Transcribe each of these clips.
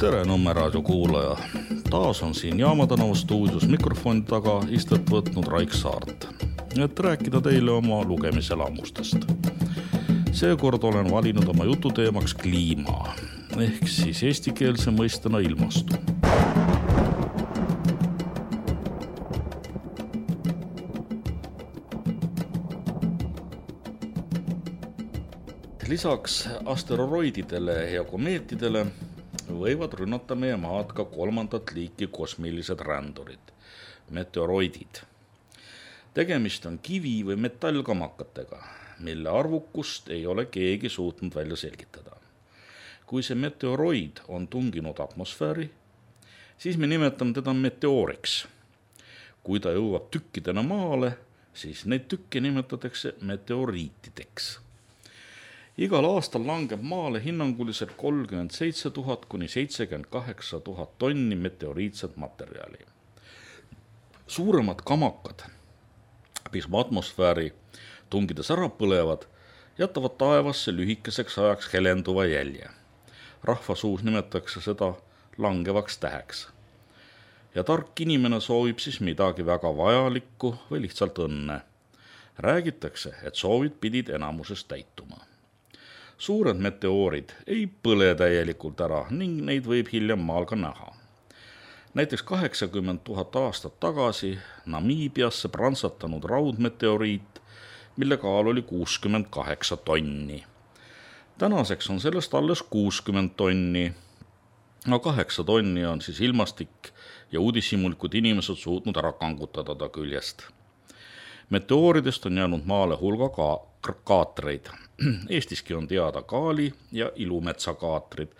Tere Nõmme raadio kuulaja. Taas on siin Jaama tänava stuudios mikrofoni taga istet võtnud Raik Saart, et rääkida teile oma lugemiselamustest. Seekord olen valinud oma jututeemaks kliima, ehk siis eestikeelse mõistena ilmastu. Lisaks asteroididele ja komeetidele võivad rünnata meie maad ka kolmandat liiki kosmilised rändurid, meteoroidid. Tegemist on kivi- või metallkamakatega, mille arvukust ei ole keegi suutnud välja selgitada. Kui see meteoroid on tunginud atmosfääri, siis me nimetame teda meteooriks. Kui ta jõuab tükkidena maale, siis neid tükke nimetatakse meteoriitideks. Igal aastal langeb maale hinnanguliselt 37 000 kuni 78 000 tonni meteoriitset materjali. Suuremad kamakad, mis atmosfääri tungides ära põlevad, jätavad taevasse lühikeseks ajaks helenduva jälje. Rahvasuus nimetatakse seda langevaks täheks. Ja tark inimene soovib siis midagi väga vajalikku või lihtsalt õnne. Räägitakse, et soovid pidid enamuses täituma. Suured meteoorid ei põle täielikult ära ning neid võib hiljem maal ka näha. Näiteks 80 000 aastat tagasi Namiibiasse prantsatanud raudmeteoriit, mille kaal oli 68 tonni. Tänaseks on sellest alles 60 tonni, aga 8 tonni on siis ilmastik ja uudishimulikud inimesed suutnud ära kangutada ta küljest. Meteooridest on jäänud maale hulga kaatreid. Eestiski on teada Kaali ja Ilumetsa kaatrid,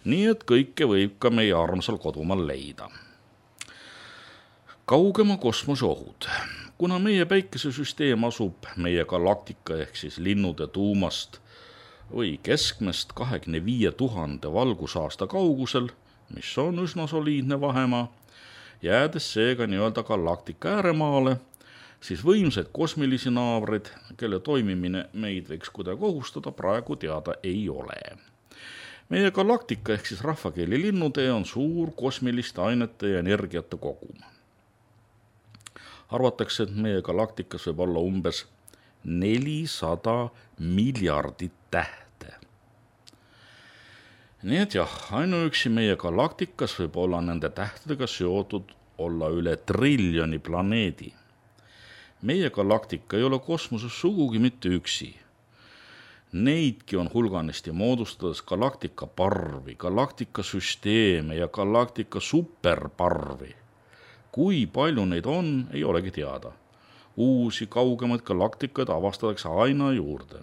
nii et kõike võib ka meie armsal kodumaal leida. Kaugema kosmose ohud. Kuna meie päikesesüsteem asub meie galaktika ehk siis linnude tuumast või keskmest 25 000 valgusaasta kaugusel, mis on üsna soliidne vahemaa, jäädes seega nii-öelda galaktika ääremaale, siis võimsad kosmilisi naabreid, kelle toimimine meid võiks kuidagi ohustada, praegu teada ei ole. Meie galaktika ehk siis rahvakeeli linnutee on suur kosmiliste ainete ja energiate kogum. Arvatakse, et meie galaktikas võib olla umbes 400 miljardit tähte. Nii et jah, ainuüksi meie galaktikas võib olla nende tähtedega seotud olla üle triljoni planeedi. Meie galaktika ei ole kosmoses sugugi mitte üksi. Neidki on hulganisti moodustades galaktika parvi, galaktika süsteeme ja galaktika superparvi. Kui palju neid on, ei olegi teada. Uusi kaugemaid galaktikaid avastatakse aina juurde.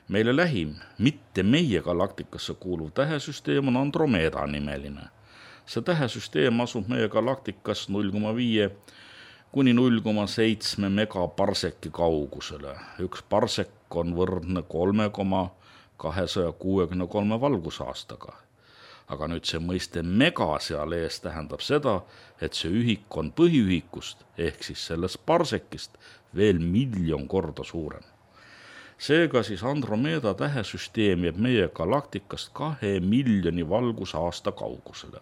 Meile lähim, mitte meie galaktikasse kuuluv tähesüsteem on Andromeda nimeline. See tähesüsteem asub meie galaktikas 0,5 kuni 0,7 megaparseki kaugusele. Üks parsek on võrdne 3,263 valgusaastaga. Aga nüüd see mõiste mega seal ees tähendab seda, et see ühik on põhiühikust ehk siis sellest parsekist veel 1 miljon korda suurem. Seega siis Andromeda tähesüsteem jääb meie galaktikast 2 miljoni valgusaasta kaugusele.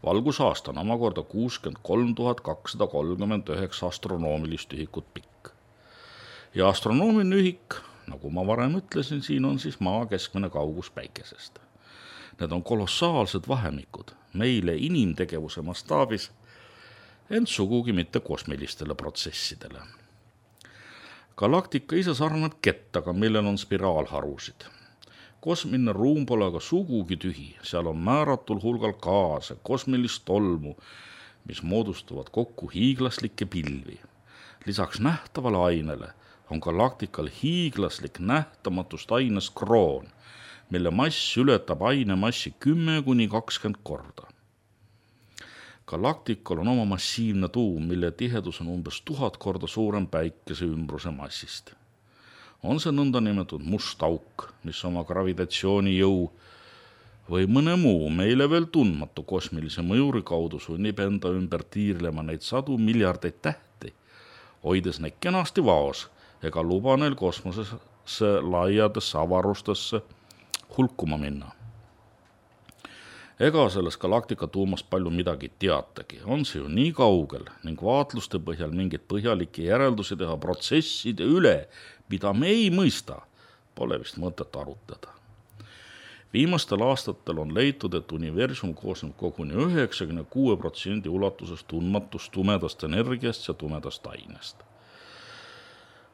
Valgusaasta on omakorda 63 239 astronoomilist ühikut pikk. Ja astronoomiline ühik, nagu ma varem ütlesin, siin on siis maa keskmine kaugus päikesest. Need on kolossaalsed vahemikud meile inimtegevuse mastaabis, ent sugugi mitte kosmilistele protsessidele. Galaktika ise sarnab kettaga, millel on spiraalharusid. Kosmiline ruum pole aga sugugi tühi, seal on määratul hulgal gaase, kosmilist tolmu, mis moodustuvad kokku hiiglaslikke pilvi. Lisaks nähtavale ainele on galaktikal hiiglaslik nähtamatust aines kroon, mille mass ületab aine massi 10–20 korda. Galaktikal on oma massiivne tuum, mille tihedus on umbes 1000 korda suurem päikese ümbruse massist. On see nõndanimetatud must auk, mis oma gravitatsioonijõu või mõne muu meile veel tundmatu kosmilise mõjuri kaudu sunnib enda ümber tiirlema neid 100 miljardeid tähti, hoides neid kenasti vaos ega luba neil kosmosesse laiadesse avarustesse hulkuma minna. Ega selles galaktika tuumast palju midagi teatagi, on see ju nii kaugel ning vaatluste põhjal mingeid põhjalikke järeldusi teha protsesside üle, mida me ei mõista, pole vist mõtet arutleda. Viimastel aastatel on leitud, et universum koosneb koguni 96% ulatuses tundmatust tumedast energiast ja tumedast ainest.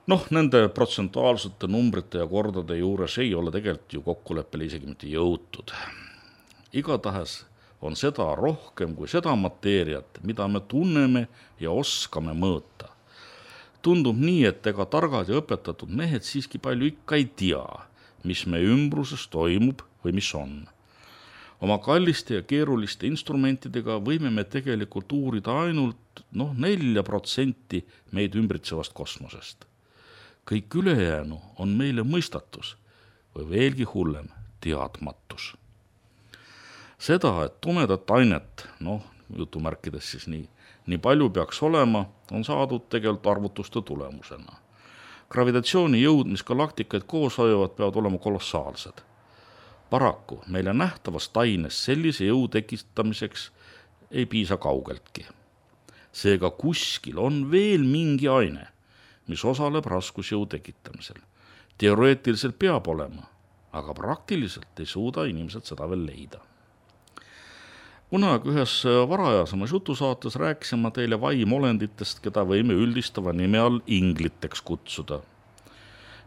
Nende protsentuaalsete numbrite ja kordade juures ei ole tegelikult ju kokkuleppele isegi mitte jõutud. Igatahes on seda rohkem kui seda mateeriat, mida me tunneme ja oskame mõõta. Tundub nii, et ega targad ja õpetatud mehed siiski palju ikka ei tea, mis meie ümbruses toimub või mis on. Oma kalliste ja keeruliste instrumentidega võime me tegelikult uurida ainult 4% meid ümbritsevast kosmosest. Kõik ülejäänu on meile mõistatus või veelgi hullem teadmatus. Seda, et tumedat ainet, jutumärkides siis nii palju peaks olema, on saadud tegelikult arvutuste tulemusena. Gravitatsiooni jõud, mis galaktikaid koos hoiavad, peavad olema kolossaalsed. Paraku meile nähtavast aines sellise jõu tekitamiseks ei piisa kaugeltki. Seega kuskil on veel mingi aine, mis osaleb raskusjõu tekitamisel. Teoreetiliselt peab olema, aga praktiliselt ei suuda inimesed seda veel leida. Kunagi ühes varajasemas jutusaates rääkisin ma teile vaimolenditest, keda võime üldistava nime all ingliteks kutsuda.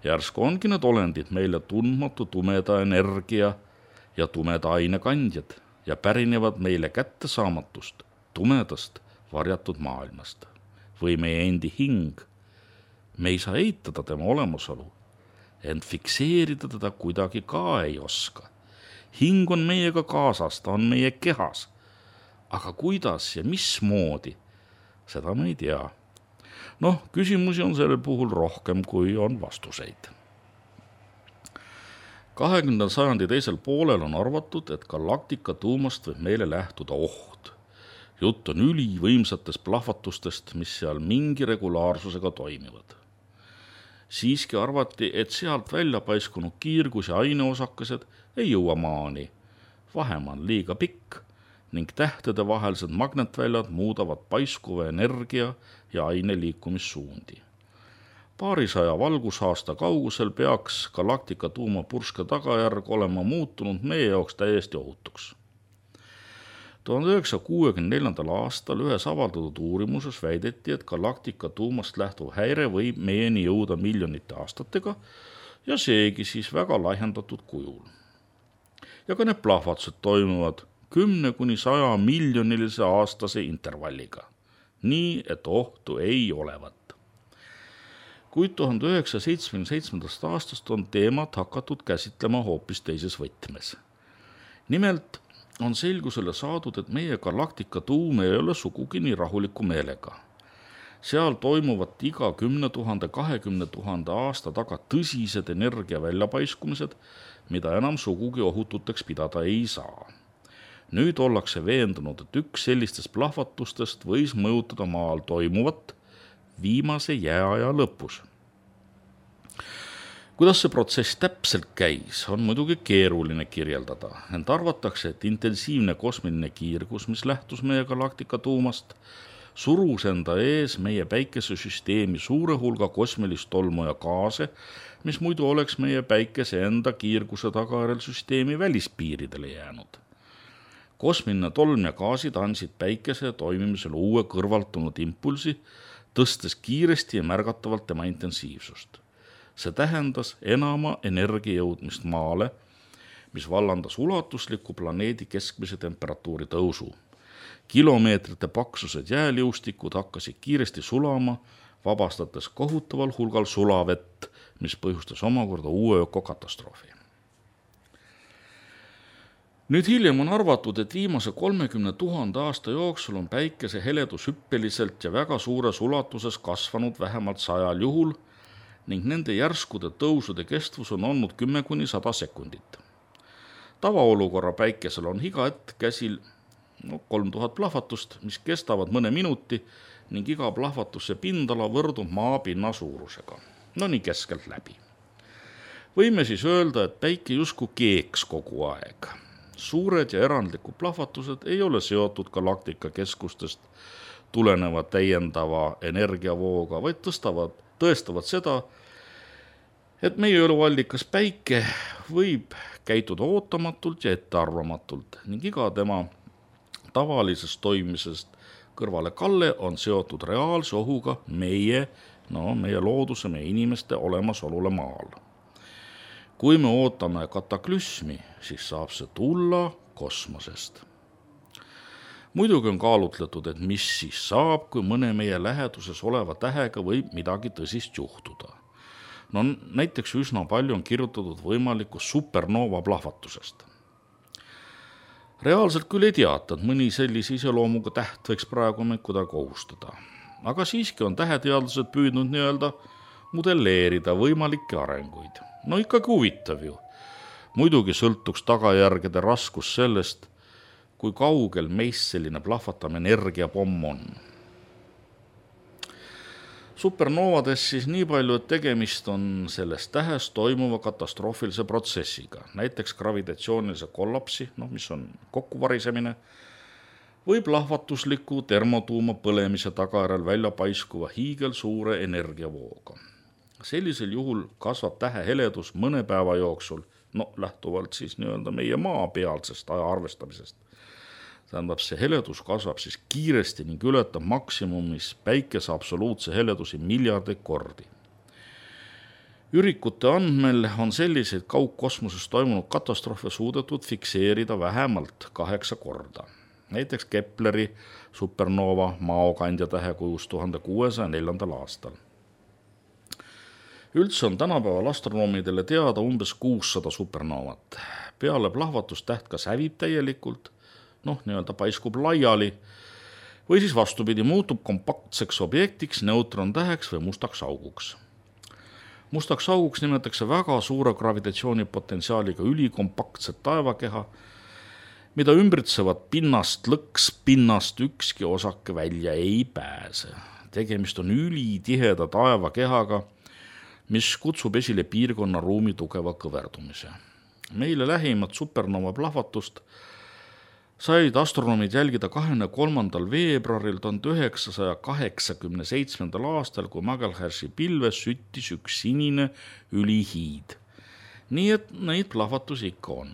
Järsku ongi need olendid meile tundmatu tumeda energia ja tumeda ainekandjad ja pärinevad meile kättesaamatust, tumedast, varjatud maailmast. Või meie endi hing. Me ei saa eitada tema olemasolu, ent fikseerida teda kuidagi ka ei oska. Hing on meiega kaasas, ta on meie kehas. Aga kuidas ja mismoodi, seda me ei tea. Küsimusi on sellel puhul rohkem, kui on vastuseid. 20. sajandi teisel poolel on arvatud, et galaktika tuumast võib meile lähtuda oht. Jutt on ülivõimsatest plahvatustest, mis seal mingi regulaarsusega toimivad. Siiski arvati, et sealt välja paiskunud kiirgus ja aineosakesed ei jõua maani. Vahemaa on liiga pikk ning tähtede vahelised magnetväljad muudavad paiskuva energia ja aine liikumissuundi. Paarisaja valgusaasta kaugusel peaks galaktika tuumapurske tagajärg olema muutunud meie jaoks täiesti ohutuks. 1964. aastal ühes avaldatud uurimuses väideti, et galaktika tuumast lähtuv häire võib meieni jõuda miljonite aastatega ja seegi siis väga lahjendatud kujul. Ja ka need plahvatused toimuvad 10–100 miljonilise aastase intervalliga, nii et ohtu ei olevat. Kuid 1977. aastast on teemat hakatud käsitlema hoopis teises võtmes. Nimelt on selgusele saadud, et meie galaktika tuum ei ole sugugi nii rahuliku meelega. Seal toimuvad iga 10 000, 20 000 aasta taga tõsised energia väljapaiskumised, mida enam sugugi ohututeks pidada ei saa. Nüüd ollakse veendunud, et üks sellistest plahvatustest võis mõjutada maal toimuvat viimase jääaja lõpus. Kuidas see protsess täpselt käis, on muidugi keeruline kirjeldada, ent arvatakse, et intensiivne kosmiline kiirgus, mis lähtus meie galaktika tuumast, surus enda ees meie päikesesüsteemi suure hulga kosmilist tolmu ja gaase, mis muidu oleks meie päikese enda kiirguse tagajärjel süsteemi välispiiridele jäänud. Kosmiline tolm ja gaasid andsid päikese toimimisel uue kõrvaltunud impulsi, tõstes kiiresti ja märgatavalt tema intensiivsust. See tähendas enama energia jõudmist maale, mis vallandas ulatusliku planeedi keskmise temperatuuri tõusu. Kilomeetrite paksused jääliustikud hakkasid kiiresti sulama, vabastates kohutaval hulgal sulavett, mis põhjustas omakorda uue ökokatastroofi. Nüüd hiljem on arvatud, et viimase 30 000 aasta jooksul on päikese heledus hüppeliselt ja väga suures ulatuses kasvanud vähemalt 100 juhul ning nende järskude tõusude kestvus on olnud 10–100 sekundit. Tavaolukorra päikesel on iga hetk käsil 3000 plahvatust, mis kestavad mõne minuti ning iga plahvatuse pindala võrdub maapinna suurusega. Nii keskelt läbi. Võime siis öelda, et päike justkui keeks kogu aeg. Suured ja erandlikud plahvatused ei ole seotud galaktika keskustest tuleneva täiendava energiavooga, vaid tõestavad seda, et meie eluallikas Päike võib käituda ootamatult ja ettearvamatult ning iga tema tavalisest toimimisest kõrvalekalle on seotud reaalse ohuga meie looduse, meie inimeste olemasolule maal. Kui me ootame kataklüsmi, siis saab see tulla kosmosest. Muidugi on kaalutletud, et mis siis saab, kui mõne meie läheduses oleva tähega võib midagi tõsist juhtuda. Näiteks üsna palju on kirjutatud võimalikust supernova plahvatusest. Reaalselt küll ei teata, et mõni sellise iseloomuga täht võiks praegu meid kuidagi ohustada. Aga siiski on täheteadlased püüdnud modelleerida võimalikke arenguid. Ikkagi huvitav ju. Muidugi sõltuks tagajärgede raskus sellest, kui kaugel meist selline plahvatav energiapomm on. Supernovades siis nii palju, et tegemist on selles tähes toimuva katastroofilise protsessiga, näiteks gravitatsioonilise kollapsi, mis on kokkuvarisemine, või plahvatusliku termotuuma põlemise tagajärjel välja paiskuva hiigelsuure energiavooga. Sellisel juhul kasvab tähe heledus mõne päeva jooksul, lähtuvalt siis meie maa pealsest aja arvestamisest. Tähendab, see heledus kasvab siis kiiresti ning ületab maksimumis Päikese absoluutse heledusi miljardeid kordi. Ürikute andmel on selliseid kaugkosmoses toimunud katastroofe suudetud fikseerida vähemalt 8 korda. Näiteks Kepleri supernova maokandja tähe kujus 1604. aastal. Üldse on tänapäeval astronoomidele teada umbes 600 supernovat. Peale plahvatust täht kas hävib täielikult, paiskub laiali või siis vastupidi muutub kompaktseks objektiks, neutrontäheks või mustaks auguks. Mustaks auguks nimetatakse väga suure gravitatsioonipotentsiaaliga ülikompaktset taevakeha, mida ümbritsevad pinnast ükski osake välja ei pääse. Tegemist on ülitiheda taevakehaga, mis kutsub esile piirkonna ruumi tugeva kõverdumise. Meile lähimat supernova plahvatust said astronoomid jälgida 23. veebruaril 1987. aastal, kui Magelhärsi pilves süttis üks sinine ülihiid. Nii et neid plahvatusi ikka on.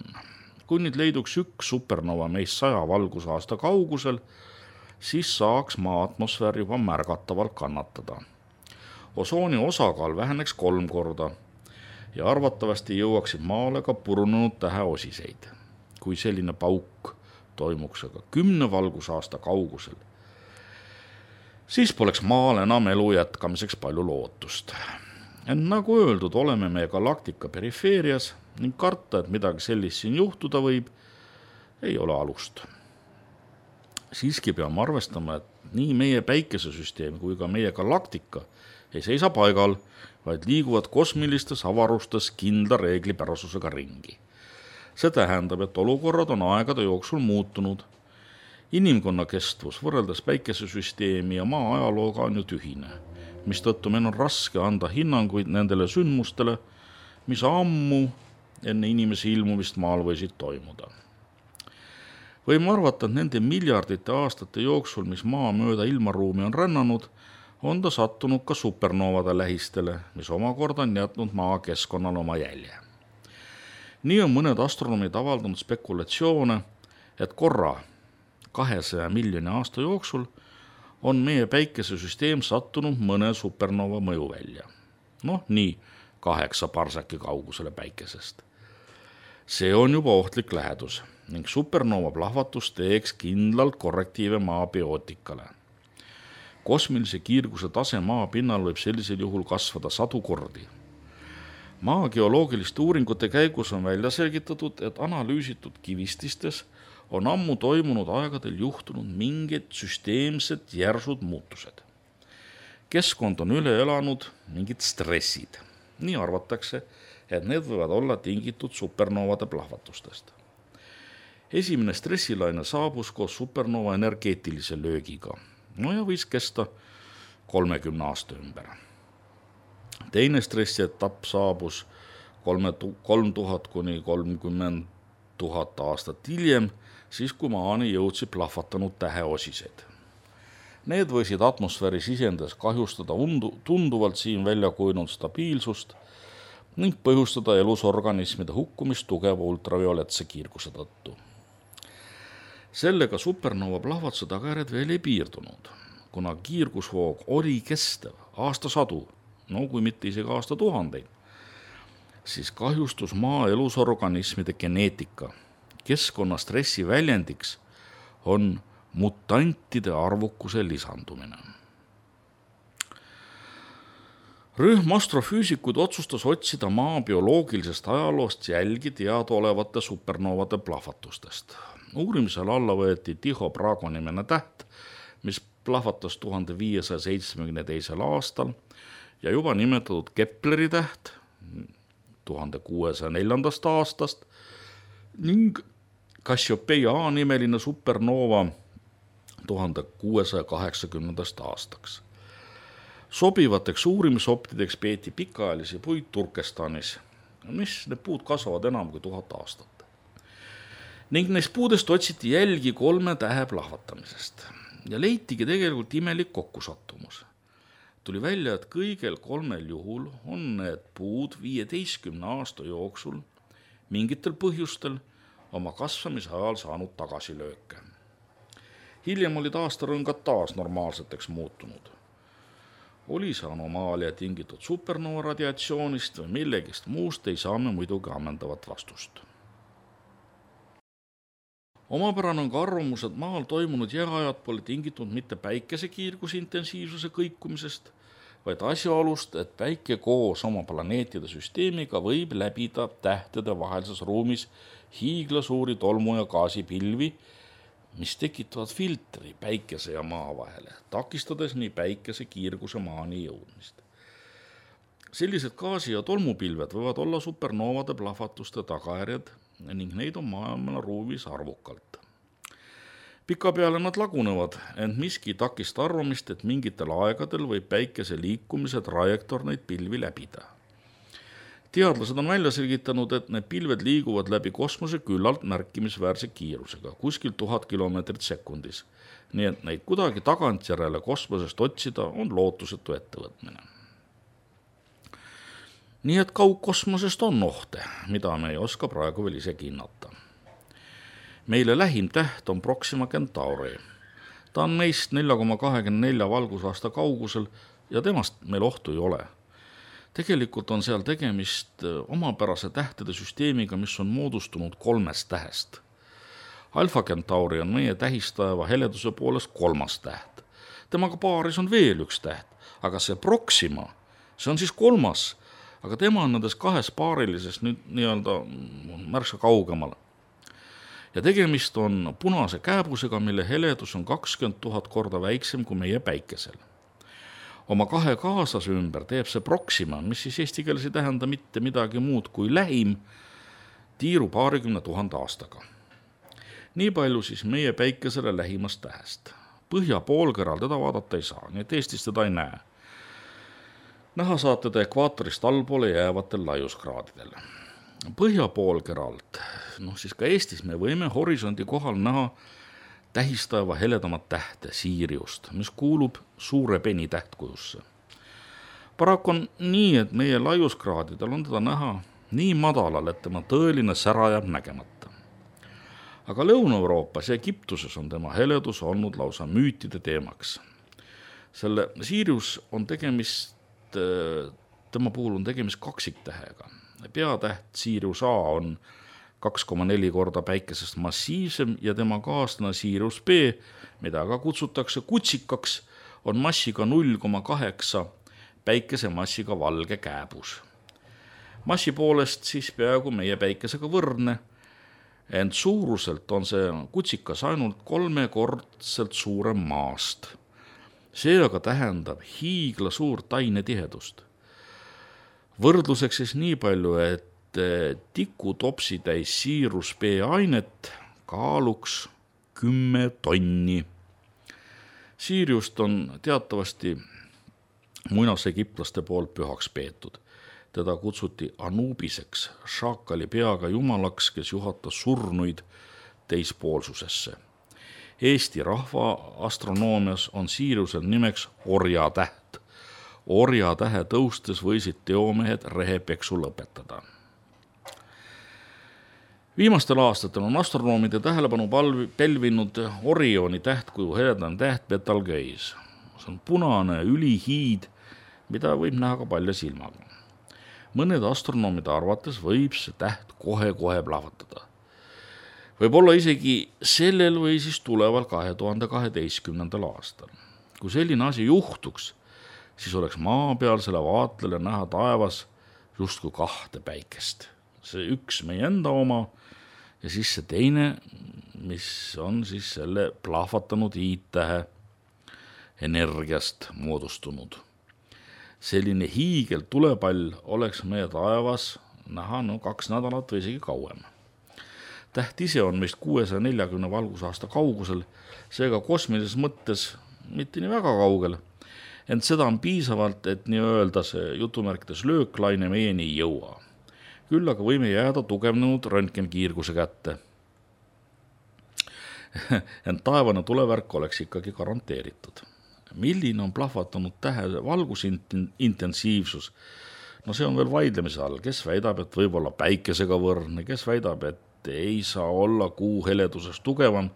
Kui nüüd leiduks üks supernova meist 100 valgusaasta kaugusel, siis saaks maa atmosfäär juba märgatavalt kannatada. Osooni osakaal väheneks 3 korda ja arvatavasti jõuaksid maale ka purunenud täheosiseid. Kui selline pauk toimuks aga 10 valgusaasta kaugusel, siis poleks maal enam elu jätkamiseks palju lootust. Ent nagu öeldud, oleme me galaktika perifeerias ning karta, et midagi sellist siin juhtuda võib, ei ole alust. Siiski peame arvestama, et nii meie päikesesüsteem kui ka meie galaktika ei seisa paigal, vaid liiguvad kosmilistes avarustes kindla reeglipärasusega ringi. See tähendab, et olukorrad on aegade jooksul muutunud. Inimkonna kestvus võrreldes päikesesüsteemi ja maa ajalooga on ju tühine, mistõttu meil on raske anda hinnanguid nendele sündmustele, mis ammu enne inimese ilmumist maal võisid toimuda. Võime arvata, et nende miljardite aastate jooksul, mis maa mööda ilmaruumi on rännanud, on ta sattunud ka supernovade lähistele, mis omakorda on jätnud maa keskkonnale oma jälje. Nii on mõned astronoomid avaldanud spekulatsioone, et korra 200 miljoni aasta jooksul on meie päikesesüsteem sattunud mõne supernova mõjuvälja. Nii 8 parsaki kaugusele päikesest. See on juba ohtlik lähedus ning supernova plahvatus teeks kindlalt korrektiive maa biootikale. Kosmilise kiirguse tase maa pinnal võib sellisel juhul kasvada 100 kordi. Maa geoloogiliste uuringute käigus on välja selgitatud, et analüüsitud kivististes on ammu toimunud aegadel juhtunud mingid süsteemsed järsud muutused. Keskkond on üle elanud mingid stressid. Nii arvatakse, et need võivad olla tingitud supernovade plahvatustest. Esimene stressilaine saabus koos supernova energeetilise löögiga. Ja võis kesta 30 aasta ümber. Teine stressietapp saabus 3000 kuni 30 1000 aastat hiljem, siis kui maani jõudsid plahvatanud täheosised. Need võisid atmosfääri sisendades kahjustada tunduvalt siin välja kujunenud stabiilsust ning põhjustada elusorganismide hukkumist tugeva ultravioletse kiirguse tõttu. Sellega supernova plahvatuse tagajärjed veel ei piirdunud, kuna kiirgusvoog oli kestev aastasadu, kui mitte isegi aastatuhandeid, siis kahjustus maa elusorganismide geneetika. Keskkonna stressi väljendiks on mutantide arvukuse lisandumine. Rühm astrofüüsikuid otsustas otsida maa bioloogilisest ajaloost jälgi teadaolevate supernovade plahvatustest. Uurimisel alla võeti Tycho Brahe nimene täht, mis plahvatas 1572. aastal ja juba nimetatud Kepleri täht 1604. aastast ning Cassiopeia A nimeline supernova 1680. aastaks. Sobivateks uurimisoptideks peeti pikaajalisi puid Turkestanis, mis need puud kasvavad enam kui 1000 aastat. Ning neist puudest otsiti jälgi 3 tähe plahvatamisest ja leitigi tegelikult imelik kokkusattumus. Tuli välja, et kõigel 3 juhul on need puud 15 aasta jooksul mingitel põhjustel oma kasvamise ajal saanud tagasilööke. Hiljem olid aastarõngad taas normaalseteks muutunud. Oli see anomaalia tingitud supernova radiatsioonist või millegist muust, ei saa me muidugi ammendavat vastust. Omapärane on ka arvamus, et maal toimunud jääajad pole tingitud mitte päikesekiirguse intensiivsuse kõikumisest, vaid asjaolust, et päike koos oma planeetide süsteemiga võib läbida tähtede vahelises ruumis hiiglasuuri tolmu- ja gaasipilvi, mis tekitavad filtri päikese ja maa vahele, takistades nii päikese kiirguse maani jõudmist. Sellised gaasi- ja tolmupilved võivad olla supernovade plahvatuste tagajärjed ning neid on maailma ruumis arvukalt. Pikapeale nad lagunevad, ent miski takista arvamist, et mingitel aegadel võib päikese liikumise trajektoor neid pilvi läbida. Teadlased on välja selgitanud, et need pilved liiguvad läbi kosmose küllalt märkimisväärse kiirusega, kuskil 1000 kilomeetrit sekundis. Nii et neid kuidagi tagantjärele kosmosest otsida on lootusetu ettevõtmine. Nii et kaugkosmosest on ohte, mida me ei oska praegu veel isegi hinnata. Meile lähim täht on Proxima Centauri. Ta on meist 4,24 valgusaasta kaugusel ja temast meil ohtu ei ole. Tegelikult on seal tegemist omapärase tähtede süsteemiga, mis on moodustunud 3 tähest. Alpha Centauri on meie tähistaeva heleduse poolest 3. täht. Temaga paaris on veel 1 täht, aga see Proxima, see on siis 3, aga tema on nendes 2 paarilisest nüüd nii-öelda märksa kaugemal. Ja tegemist on punase kääbusega, mille heledus on 20 000 korda väiksem kui meie päikesel. Oma 2 kaaslase ümber teeb see Proxima, mis siis eesti keeles ei tähenda mitte midagi muud kui lähim, tiiru 20 000 aastaga. Nii palju siis meie päikesele lähimast tähest. Põhja poolkeral teda vaadata ei saa, nii et Eestis teda ei näe. Näha saate ta ekvaatorist allpoole jäävatel laiuskraadidel. Põhja poolkeralt, siis ka Eestis me võime horisondi kohal näha tähistaeva heledamat tähte Siriust, mis kuulub suure peni tähtkujusse. Paraku on nii, et meie laiuskraadidel on teda näha nii madalal, et tema tõeline sära jääb nägemata. Aga Lõuna-Euroopas ja Egiptuses on tema heledus olnud lausa müütide teemaks. Selle Sirius on tema puhul on tegemist kaksiktähega. Peatäht Sirius A on 2,4 korda päikesest massiivsem ja tema kaaslane Sirius B, mida ka kutsutakse kutsikaks, on massiga 0,8 päikese massiga valge kääbus. Massi poolest siis peaaegu meie päikesega võrdne, ent suuruselt on see kutsikas ainult 3-kordselt suurem maast. See aga tähendab hiigla suurt ainetihedust. Võrdluseks siis nii palju, et tikutopsi täis Sirius B ainet kaaluks 10 tonni. Siriust on teatavasti muinasegiptlaste poolt pühaks peetud. Teda kutsuti Anubiseks, šaakali peaga jumalaks, kes juhatas surnuid teispoolsusesse. Eesti rahva astronoomias on Siriusel nimeks orjatäht. Orjatähe tõustes võisid teomehed rehepeksu lõpetada. Viimastel aastatel on astronoomide tähelepanu pälvinud Orioni tähtkuju heledane täht Betelgeuse. See on punane ülihiid, mida võib näha ka palja silmaga. Mõned astronoomide arvates võib see täht kohe plahvatada. Võib olla isegi sellel või siis tuleval 2012. aastal. Kui selline asi juhtuks, siis oleks maapealsele vaatlele näha taevas justkui 2 päikest. See üks meie enda oma ja siis see teine, mis on siis selle plahvatanud hiidtähe energiast moodustunud. Selline hiigel tulepall oleks meie taevas näha 2 nädalat või isegi kauem. Täht ise on meist 640 valgusaasta kaugusel, seega kosmilises mõttes mitte nii väga kaugel, ent seda on piisavalt, et nii öelda see jutumärkides lööklaine meieni ei jõua. Küll aga võime jääda tugevnenud röntgenkiirguse kätte. Ent taevane tulevärk oleks ikkagi garanteeritud. Milline on plahvatanud tähe valgusintensiivsus? No see on veel vaidlemise all, kes väidab, et võib olla päikesega võrdne, kes väidab, et ei saa olla kuu heledusest tugevam,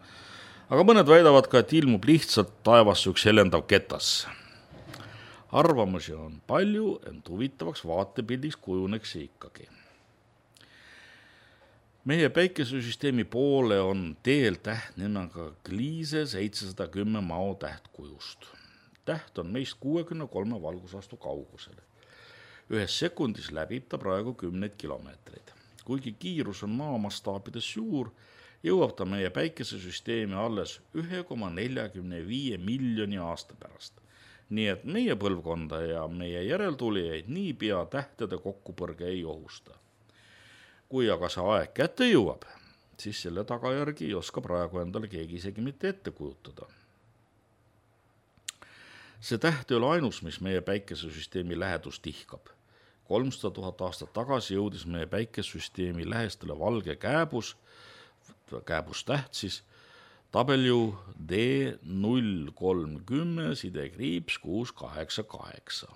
aga mõned väidavad ka, et ilmub lihtsalt taevasse üks helendav ketas. Arvamusi on palju, ent huvitavaks vaatepildiks kujuneks see ikkagi. Meie päikesesüsteemi poole on teel täht nimega Gliese 710 mao tähtkujust. Täht on meist 63 valgusaastu kaugusel. 1 sekundis läbib ta praegu 10 kilomeetreid. Kuigi kiirus on maa mastaabides suur, jõuab ta meie päikesesüsteemi alles 1,45 miljoni aasta pärast. Nii et meie põlvkonda ja meie järeltulijaid niipea tähtede kokkupõrge ei ohusta. Kui aga see aeg kätte jõuab, siis selle tagajärgi ei oska praegu endale keegi isegi mitte ette kujutada. See täht ei ole ainus, mis meie päikesesüsteemi lähedust tihkab. 300 000 aastat tagasi jõudis meie päikesesüsteemi lähestele valge kääbustäht siis W D030-688.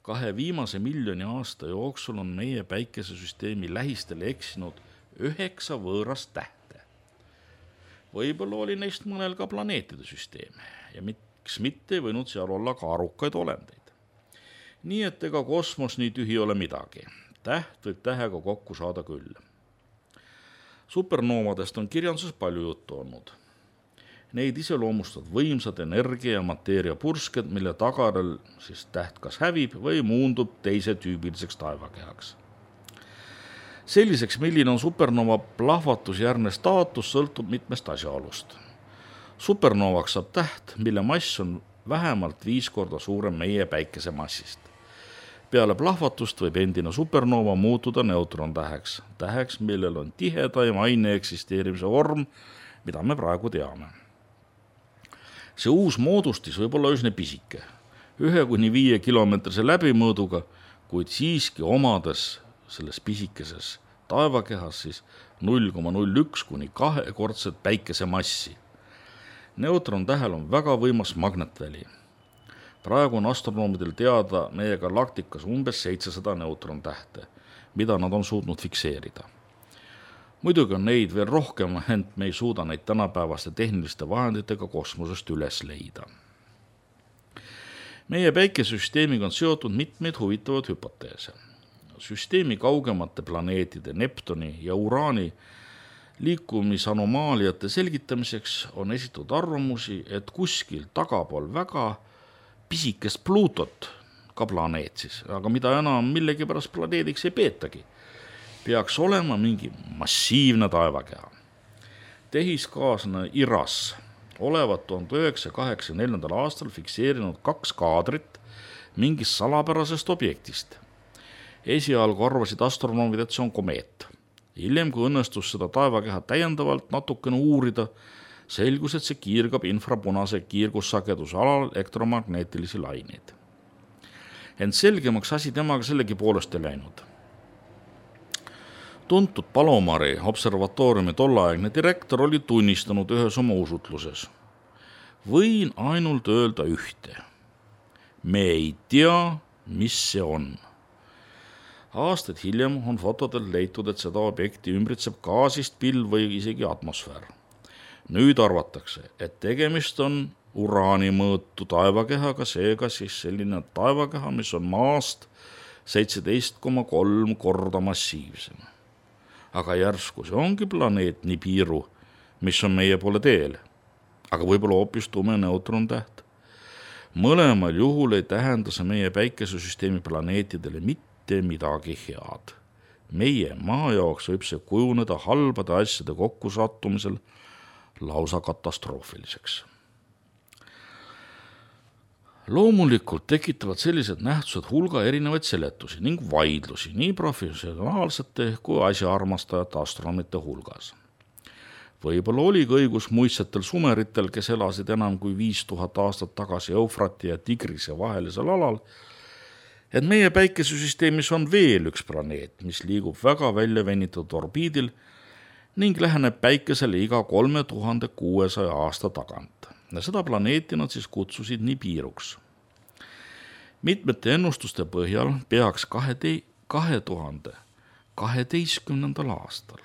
2 viimase miljoni aasta jooksul on meie päikesesüsteemi lähistele eksinud 9 võõrast tähte. Võib-olla oli neist mõnel ka planeetide süsteem ja miks mitte võinud seal olla ka arukaid olendeid. Nii et ega kosmos nii tühi ole midagi. Täht võib tähega kokku saada küll. Supernoovadest on kirjanduses palju juttu olnud. Neid iseloomustavad võimsad energia ja mateeria pursked, mille tagajärjel siis täht kas hävib või muundub teise tüübiliseks taevakehaks. Selliseks, milline on supernova plahvatusjärgne staatus, sõltub mitmest asjaolust. Supernovaks saab täht, mille mass on vähemalt 5 korda suurem meie päikese massist. Peale plahvatust võib endine supernova muutuda neutrontäheks, täheks, millel on tihedaim aine eksisteerimise vorm, mida me praegu teame. See uus moodustis võib olla üsna pisike, 1–5 kilomeetrise läbimõõduga, kuid siiski omades selles pisikeses taevakehas siis 0,01–2 kordset päikese massi. Neutrontähel on väga võimas magnetväli. Praegu on astronoomidel teada meie galaktikas umbes 700 neutrontähte, mida nad on suutnud fikseerida. Muidugi on neid veel rohkem, ent me ei suuda neid tänapäevaste tehniliste vahenditega kosmosest üles leida. Meie päikesesüsteemiga on seotud mitmeid huvitavaid hüpoteese. Süsteemi kaugemate planeetide Neptuni ja Uraani liikumisanomaaliate selgitamiseks on esitatud arvamusi, et kuskil tagapool väga pisikest Pluutot, ka planeet siis, aga mida enam millegipärast planeediks ei peetagi, peaks olema mingi massiivne taevakeha. Tehiskaaslane IRAS olevat 1984. aastal fikseerinud 2 kaadrit mingist salapärasest objektist. Esialgu arvasid astronoomid, et see on komeet. Hiljem, kui õnnestus seda taevakeha täiendavalt natukene uurida, selgus, et see kiirgab infrapunase kiirgussageduse alal elektromagnetilisi laineid. ent selgemaks asi temaga sellegi poolest ei läinud. Tuntud Palomari observatooriumi tolleaegne direktor oli tunnistanud ühes oma usutluses. Võin ainult öelda ühte. Me ei tea, mis see on. Aastaid hiljem on fotodel leitud, et seda objekti ümbritseb gaasist pilv või isegi atmosfäär. Nüüd arvatakse, et tegemist on uraani mõõtu taevakehaga, seega siis selline taevakeha, mis on maast 17,3 korda massiivsem. Aga järsku see ongi planeet Nibiru, mis on meie poole teel, aga võib-olla hoopis tume neutrontäht. Mõlemal juhul ei tähenda see meie päikesesüsteemi planeetidele mitte midagi head. Meie maa jaoks võib see kujuneda halbade asjade kokkusattumisel lausa katastroofiliseks. Loomulikult tekitavad sellised nähtused hulga erinevaid seletusi ning vaidlusi nii professionaalsete kui asjaarmastajate astronomite hulgas. Võib-olla oligi õigus muistsetel sumeritel, kes elasid enam kui 5000 aastat tagasi Eufrati ja Tigrise vahelisel alal, et meie päikesesüsteemis on veel üks planeet, mis liigub väga välja venitatud orbiidil ning läheneb päikesele iga 3600 aasta tagant. Ja seda planeeti nad siis kutsusid Nibiruks. Mitmete ennustuste põhjal peaks 2012. aastal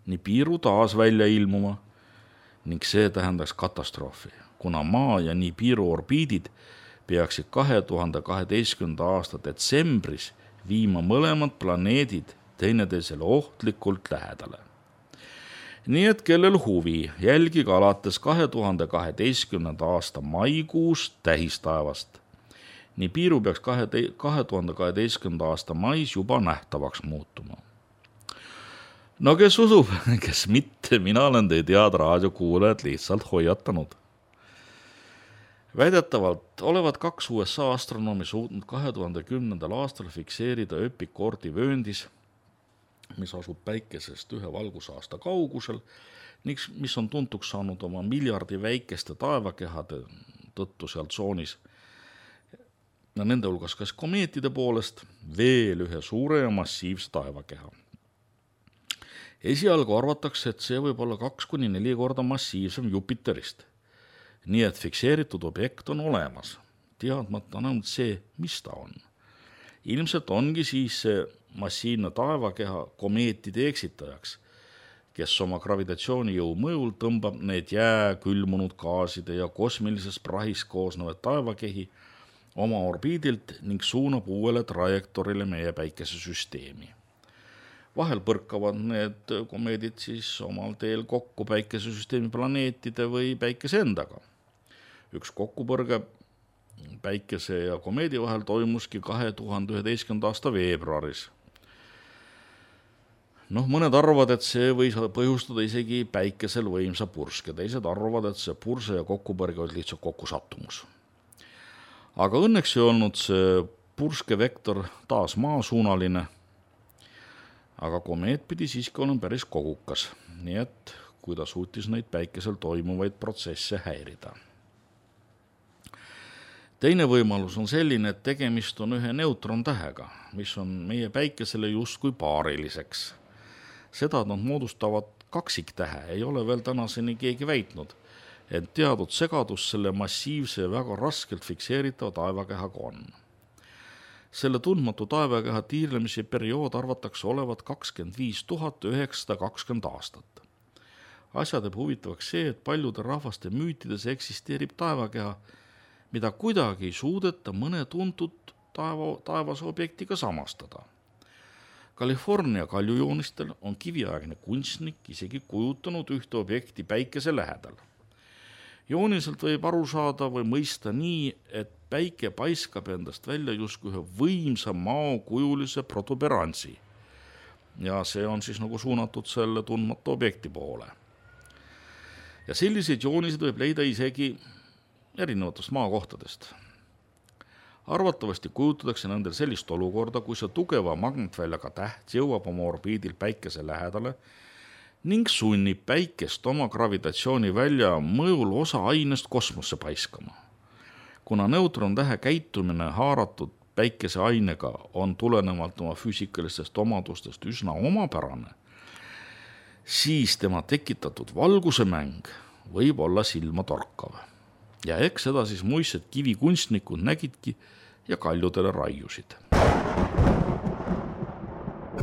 Nibiru taas välja ilmuma ning see tähendaks katastroofi, kuna Maa ja Nibiru orbiidid peaksid 2012. aasta detsembris viima mõlemad planeedid teineteisele ohtlikult lähedale. Nii et kellel huvi, jälgige alates 2012. aasta maikuus tähistaevast. Nibiru peaks 2012. aasta mais juba nähtavaks muutuma. No kes usub, kes mitte, mina olen teid head raadiokuulajad lihtsalt hoiatanud. Väidetavalt olevat 2 USA astronoomi suutnud 2010. aastal fikseerida Öpikoorti vööndis, mis asub päikesest 1 valgusaasta kaugusel ning mis on tuntuks saanud oma miljardi väikeste taevakehade tõttu seal tsoonis. Ja nende hulgas kas komeetide poolest veel ühe suure ja massiivse taevakeha. Esialgu arvatakse, et see võib olla 2-4 korda massiivsem Jupiterist. Nii et fikseeritud objekt on olemas, teadmata ainult see, mis ta on. Ilmselt ongi siis see massiivne taevakeha komeetide eksitajaks, kes oma gravitatsioonijõu mõjul tõmbab need külmunud gaaside ja kosmilisest prahist koosnevad taevakehi oma orbiidilt ning suunab uuele trajektorile meie päikesesüsteemi. Vahel põrkavad need komeedid siis omal teel kokku päikesesüsteemi planeetide või päikese endaga. Üks kokkupõrge päikese ja komeedi vahel toimuski 2011. aasta veebruaris. Mõned arvavad, et see võis põhjustada isegi päikesel võimsa purske, teised arvavad, et see purse ja kokkupõrge oli lihtsalt kokkusattumus. Aga õnneks ei olnud see purskevektor taas maasuunaline, aga komeet pidi siiski olema päris kogukas, nii et kui ta suutis neid päikesel toimuvaid protsesse häirida. Teine võimalus on selline, et tegemist on ühe neutrontähega, mis on meie päikesele justkui paariliseks. Seda nad moodustavad kaksiktähe, ei ole veel tänaseni keegi väitnud, et teadnud segadus selle massiivse ja väga raskelt fikseeritava taevakehaga on. Selle tundmatu taevakeha tiirlemise periood arvatakse olevat 25 920 aastat. Asja teeb huvitavaks see, et paljude rahvaste müütides eksisteerib taevakeha, mida kuidagi ei suudeta mõne tuntud taevase objektiga samastada. California kaljujoonistel on kiviaegne kunstnik isegi kujutanud ühte objekti päikese lähedal. Jooniselt võib aru saada või mõista nii, et päike paiskab endast välja justkui ühe võimsa maokujulise protuberantsi. Ja see on siis nagu suunatud selle tundmatu objekti poole. Ja selliseid jooniseid võib leida isegi erinevatest maakohtadest. Arvatavasti kujutatakse nendel sellist olukorda, kui see tugeva magnetväljaga täht jõuab oma orbiidil päikese lähedale ning sunnib päikest oma gravitatsioonivälja mõjul osa ainest kosmosse paiskama. Kuna neutrontähe käitumine haaratud päikeseainega on tulenevalt oma füüsikalistest omadustest üsna omapärane, siis tema tekitatud valguse mäng võib olla silma torkav. Ja eks seda siis muistsed kivikunstnikud nägidki ja kaljudele raiusid.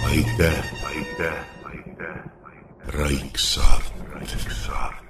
Aitäh. Raiksaart.